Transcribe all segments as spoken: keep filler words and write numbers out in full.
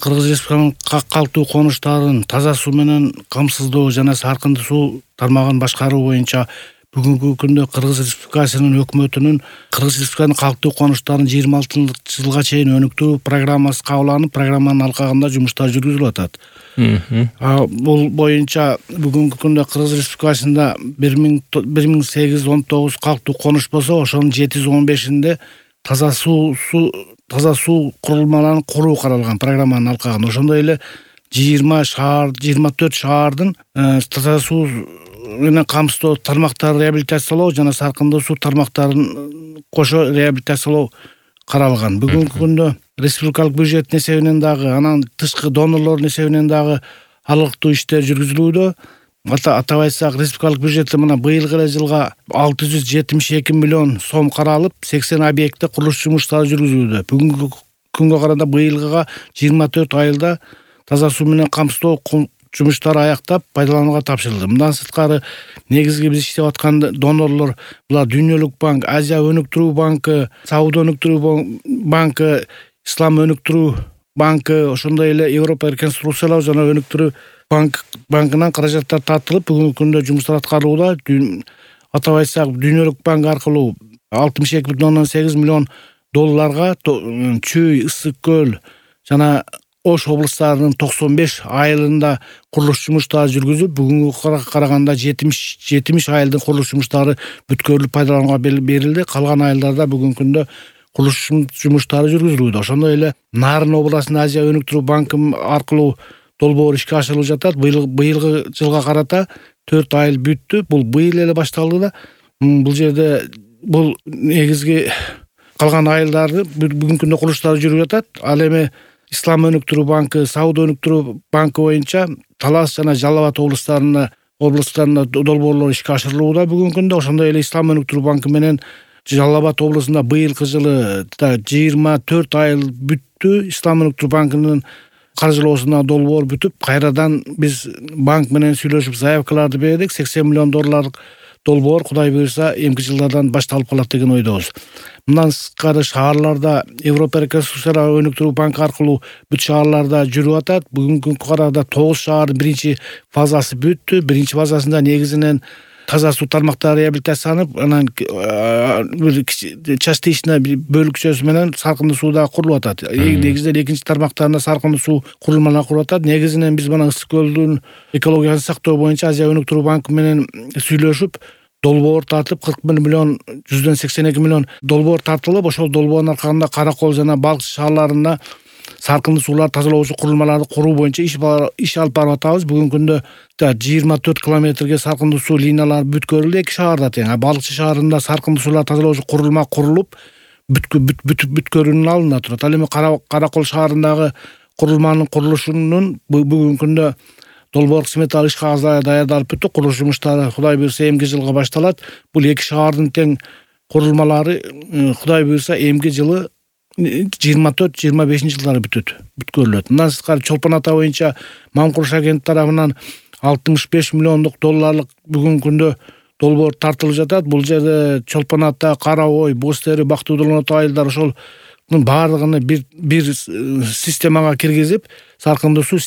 Кыргыз Республикасынын калктуу конуштарын таза суу менен камсыздоо жана саркындуу суу тармагын башкаруу боюнча бүгүнкү күндө Кыргыз Республикасынын өкмөтүнүн Кыргыз Республикасынын калктуу конуштарын жыйырма алтынчы жылга чейин өнүктүрүү программасы кабыл алынып, программанын алкагында жумуштар жүргүзүлүп атат. Бул боюнча бүгүнкү күндө Кыргыз Республикасында бир миң сегиз жүз он тогуз калктуу конуш болсо, ошонун жети жүз он бешинде таза суу таза суу курулмаларын куруу каралган программанын алкагында. Ошондой эле жыйырма шаар, жыйырма төрт шаардын таза суу менен камсыздоо тармактарын реабилитациялоо жана саркындуу суу тармактарын кошо реабилитациялоо каралган. Бүгүнкү күндө республикалык бюджеттин эсебинен дагы, анан тышкы донорлордун эсебинен дагы алыктуу иштер жүргүзүлүүдө. Атап айтсак, республикалык бюджетте мына быйылкы эле жылга алты жүз жетимиш эки миллион сом каралып, сексен объектте курулуш жумуштары жүргүзүлүүдө. Бүгүнкү күнгө караганда быйылгыга жыйырма төрт айылда таза суу менен камсыздоо жумуштары аяктап, пайдаланууга тапшырылды. Мындан сырткары негизги биз иштеп аткан донорлор булар Дүйнөлүк банк, Азия өнүктүрүү банкы, Сауда өнүктүрүү банкы, Ислам өнүктүрүү банкы, ошондой эле Европа реконструкциялоо жана өнүктүрүү банк банкынан каражаттар тартылып, бүгүнкү күндө жумуштар аткарылууда. Атап айтсак, Дүйнөлүк банк аркылуу алтымыш эки бүтүн ондон сегиз миллион долларга Чүй, Ысык көл жана Ош облустарынын токсон беш айылында курулуш жумуштары жүргүзүлүп, бүгүнгү караганда жетимиш айылдын курулуш жумуштары бүткөрүлүп пайдаланууга берилди. Калган айылдарда бүгүнкү күндө курулуш жумуштары жүргүзүлүүдө. Ошондой эле Нарын областынын Азия өнүктүрүү банкы аркылуу долбоор ишке ашырылып жатат. Быйылкы жылга карата төрт айыл бүттү. Бул быйыл эле башталды да. Бул жерде бул негизги калган айылдарды бүгүнкү күндө курулуштары жүрүп жатат. Ал эми Ислам өнүктүрүү банкы, Сауда өнүктүрүү банкы боюнча Талас жана Жалал Абад облустарында облустарында долбоорлор ишке ашырылууда бүгүнкү күндө. Ошондой эле Ислам өнүктүрүү банкы менен Жалал Абад облусунда быйылкы жылы жыйырма төрт айыл бүттү. Ислам өнүктүрүү банкынын каржылоосуна долбоор бүтүп, кайрадан биз банк менен сүйлөшүп заявкаларды бердик. сексен миллион долларлык долбоор Кудай буйрса эмки жылдардан башталып калат деген ойдобуз. Мындан сырткары шаарларда Европа реконструкциялоо өнүктүрүү банкы аркылуу бүт шаарларда жүрүп атат. Бүгүнкү карада тогуз шаардын биринчи фазасы бүттү. Биринчи фазасында негизинен таза суу тармактары реабилитацияланып, анан бир частично бөлүкчөсү менен саркындуу сууда курулуп атат. Негизинен экинчи тармактарында саркындуу суу курулмалары куруп атат. Негизинен биз мына Ысык көлдүн экологиясын сактоо боюнча Азия өнүктүрүү банкы менен сүйлөшүп, долбоор тартып, кырк бир миллион жүздөн сексен эки миллион долбоор тартылып, ошол долбоордун аркасында Каракол жана Балкчы шаарларында саркындуу суулар тазалоочу курулмаларды куруу боюнча иш иш алып барып атабыз. Бүгүнкү күндө жыйырма төрт километрге саркындуу суу линиялары бүткөрүлдү эки шаарда тең. Балкчы шаарында саркындуу суулар тазалоочу курулма курулуп, бүткөрүүнүн алдында турат. Ал эми Каракол шаарындагы курулманын курулушунун бүгүнкү күндө долбоор сметалык иш кагаздары даярдалып бүттү. Курулуш жумуштары Кудай буйрса эмки жылга башталат. Бул эки шаардын тең курулмалары Кудай буйрса эмки жылы жыйырма төрт жыйырма бешинчи жылдары бүтөт, бүткөрүлөт. Мындан сырткары Чолпон Ата боюнча Мамкуруш агенттик тарабынан алтымыш беш миллиондук долларлык бүгүнкү күндө долбоор тартылып жатат. Бул жерде Чолпон Ата, Кара Ой, Боз Тери, Бактыудулон айылдар ошол баардыгын бир бир системага киргизип, саркындуу суу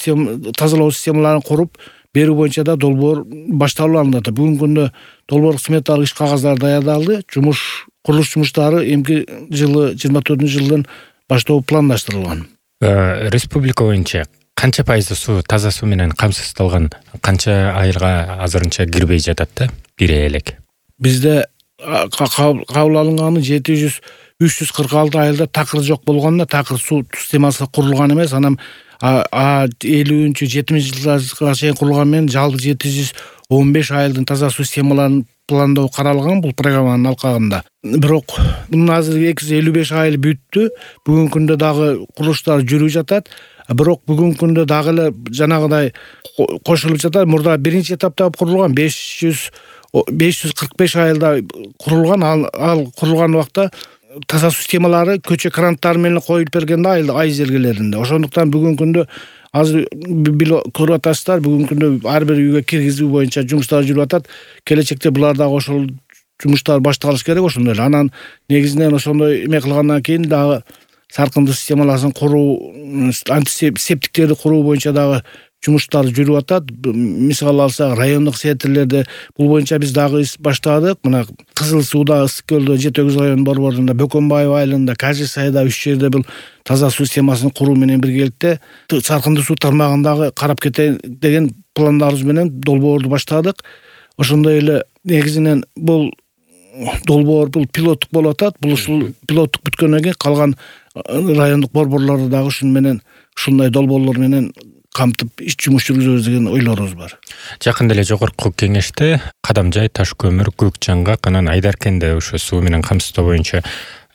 тазалоо системаларын куруп берүү боюнча да долбоор башталып алынат. Бүгүнкү күндө долбоор сметалык иш кагаздары даярдалды. Жумуш курулуш жумуштары эмки жылы жыйырма төртүнчү жылдан баштоо пландаштырылган. Республика боюнча канча пайызы суу таза суу менен камсыздалган, канча айылга азырынча кирбей жатат да? Кире элек. Бизде кабыл алынганы жети жүз үч жүз кырк алты айылда такыр жок болгондо, такыр суу системасы курулган эмес. Анан элүүнчү жетиминчи жылдарга чейин курулган менен жалпы жети жүз он беш айылдын таза суу системаларын пландоо каралган бул программанын алкагында. Бирок мына азыр эки жүз элүү беш айыл бүттү. Бүгүнкү күндө дагы курулуштар жүрүп жатат. Бирок бүгүнкү күндө дагы эле жанагыдай кошулуп жатат. Мурда биринчи этапта курулган беш жүз кырк беш айылда курулган. Ал курулган убакта таза суу системалары көчө кранттары менен коюлуп берген да ай жергелеринде. Ошондуктан бүгүнкү күндө азыр көрүп атасыздар, бүгүнкү күндө ар бир үйгө киргизүү боюнча жумуштар жүрүп атат. Келечекте булар дагы ошол жумуштар башталыш керек ошондой эле. Анан негизинен ошондой эме кылгандан кийин дагы саркындуу системаларын куруу, антисептиктерди куруу боюнча дагы жумуштар жүрүп атат. Мисалы алсак, райондук сектрлерде бул боюнча биз дагы иш баштадык. Мына Кызыл Сууда, Ысык көлдө, Жети Өгүз районунун борборунда, Бөкөнбаев айылында, Кажы Сайда үч жерде бул таза суу системасын куруу менен биргеликте саркындуу суу тармагындагы карап кетейин деген пландарыбыз менен долбоорду баштадык. Ошондой эле негизинен бул долбоор бул пилоттук болуп атат. Бул ушул пилоттук бүткөндөн кийин калган райондук борборлорду дагы ушун менен ушундай долбоорлор менен камтып иш жумуш жүргүзөбүз деген ойлорубуз бар. Жакында эле жогорку кеңеште Кадамжай, Таш көмүр, Көкжаңгак, анан Айдаркенде ошо суу менен камсыздоо боюнча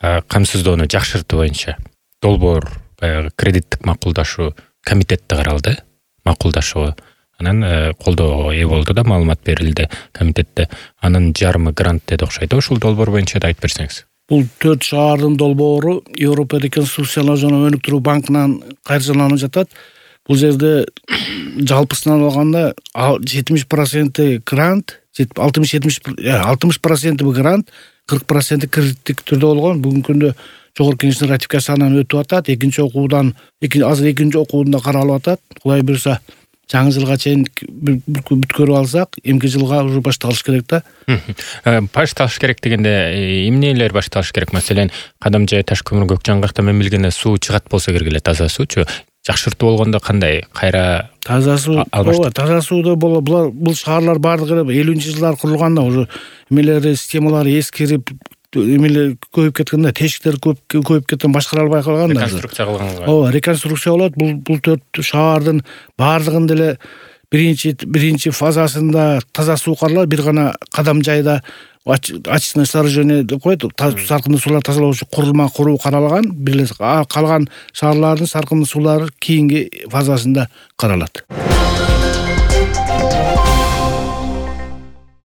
камсыздоону жакшыртуу боюнча долбоор баягы кредиттик макулдашуу комитетте каралды, макулдашуу. Анан колдоого ээ болду да, маалымат берилди комитетте. Анын жарымы грант деди окшойт. Ушул долбоор боюнча да айтып берсеңиз. Бул төрт шаардын долбоору Европа реконструкциялоо жана өнүктүрүү банкынан каржыланып жатат. Бул жерде жалпысынан алганда жетимиш проценти грант, алтымыш проценти грант, кырк проценти кредиттик түрдө болгон. Бүгүнкү күндө жогорку кеңештин ратификациясынан өтүп атат. Экинчи окуудан, азыр экинчи окууда каралып атат. Кудай буйрса, жаңы жылга чейин бүткөрүп алсак, эмки жылга уже башталыш керек да. Башталыш керек дегенде эмнелер башталыш керек? Маселен, Кадамжай, Таш көмүр, Көкжаңгакта мен билгенде суу чыгат болсо керек эле, таза суучу. Жакшыртуу болгондо кандай? Кайра таза суу, ооба, таза сууду булар бул шаарлар бардыгы элүүнчү жылдары курулганда уже эмелери, системалары эскирип, эмелер көбөйүп кеткенде, тешиктер көп көбөйүп кеткен, башкара албай калган да. Реконструкция кылганга. Ооба, реконструкция болот. Бул бул төрт шаардын бардыгында эле биринчи биринчи фазасында таза суу каралат. Бир гана Кадамжайда очистное сооружение деп коет, саркындуу суулар тазалоо үчүн курулма куруу каралган. Бир эле калган шаарлардын саркындуу суулары кийинки фазасында каралат.